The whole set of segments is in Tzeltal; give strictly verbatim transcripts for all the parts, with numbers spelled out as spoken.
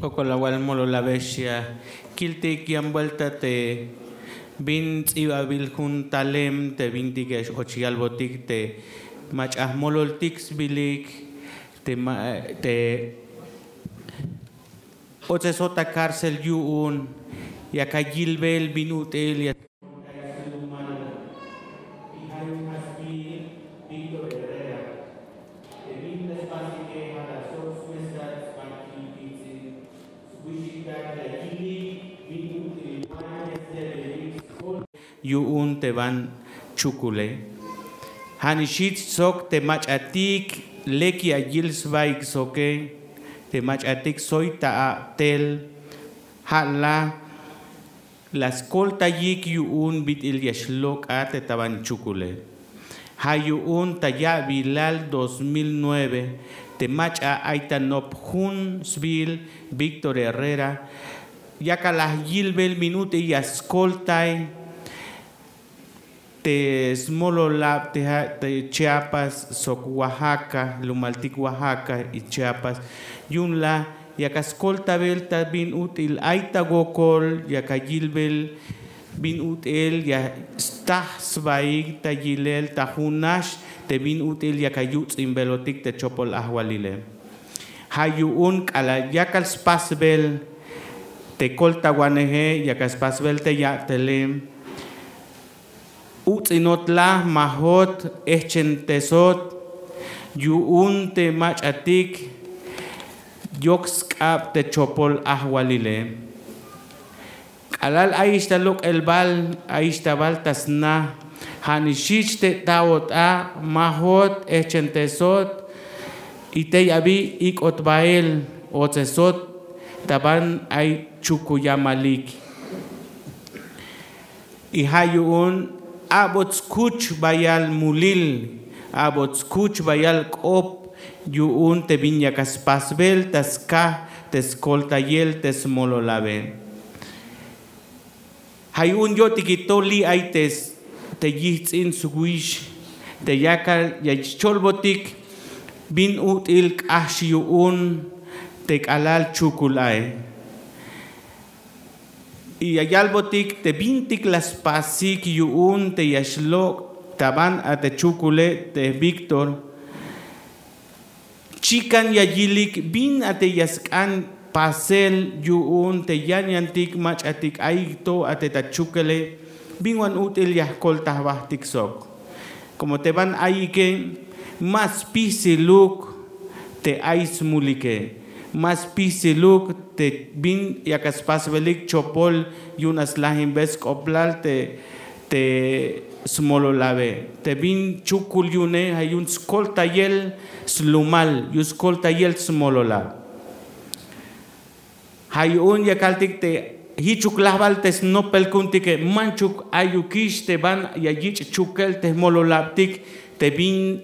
Jokol awal mololabex ya kiltik yan buelta te bin ts'ibabil jun talem te bintik ya x-och yalbotik te mach'a jmololtik sbilik te ma- te otsesot ta cárcel yu'un yak ayilbel bin ut'il ya yu'un te ban chukule. Ja'nix jich sok te mach'atik lek ya yil sbaik soke te mach'atik soy ta a'tel. Ja' la la skoltayik yu'un bit'il ya xlok'a te ta ban chukule. Ja' yu'un ta ya'bilal dos mil nueve te mach'a ay ta nop jun sbiil Víctor Herrera yakal la yilbel bin ut'il ya skoltay te smololab te ja' te Chiapas sok Oaxaca, jlumaltik Oaxaca y Chiapas. Yu'un la yak askoltabel ta bin ut'il ay ta wokol yak ayilbel bin ut'il ya staj sbaik ta yilel ta junax te bin ut'il yak ayuts'inbelotik te chopol ajwalile. Ja' yu'un k'alal yakal spasbel te koltawaneje, yakal spasbel te ya'tele, uts'inot la majot ejchentesot yu'un te mach'atik yok sk'ab te chopol ajwalile. K'alal ayix ta lok'el bal, ayix ta bal ta sna, ja'nix jich te ta'ot a majot ejchentesot y tey abi ik'ot bael otsesot ta ban ay chukuyamalik. Y ja' yu'un a'bot skuch bayal mulil, a'bot skuch bayal k'op yu'un te bin yak aspasbel ta skaj te skoltayel te smololabe. Ja' yu'un yo'tiki to li' ay te yijts'in swix te yakal ya cholbotik bin ut'il k'ax yu'un te k'alal chukul ae. Y ya yalbotik te bintik la spasik yu'un te ya xlok' ta ban a te chukule te Víctor. Chikan ya yilik bin a te ya sk'an pasel yu'un te yan yantik mach'atik ayik to a te ta chukele bin wan ut'il ya jkolta jbajtik sok. Komo te ban ayike ma spisiluk te ay smulike, ma spisiluk te bin yak aspasbelik chopol yu'un aslajinbel sk'oblal te te smololabe te bin chukul yu'une ja' yu'un skoltayel slumal yu'un skoltayel smololab. Ja' yu'un ya kaltik te jichuk lajbal te snopel ku'untike manchuk ayukix te ban ya yich' chukel te jmololabtik te bin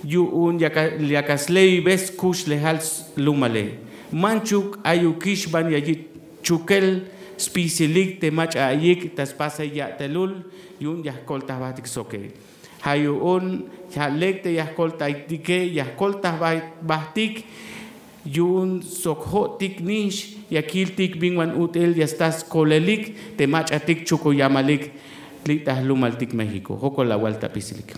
yu'un yak asleibel skuxlejal slumale. Manchuk ayukix ban ya yich' chukel spisilik te mach'a ayik ta spasel ya'telul yu'un ya jkolta jbajtik soke. Ja' yu'un ja' lek te ya jkoltaytike ya jkolta jbajtik yu'un sok jo'tik nix ya kiltik bin wan ut'il ya sta skolelik te mach'atik chukuyamalik li' ta jlumaltik México. Jokol awal ta pisilik.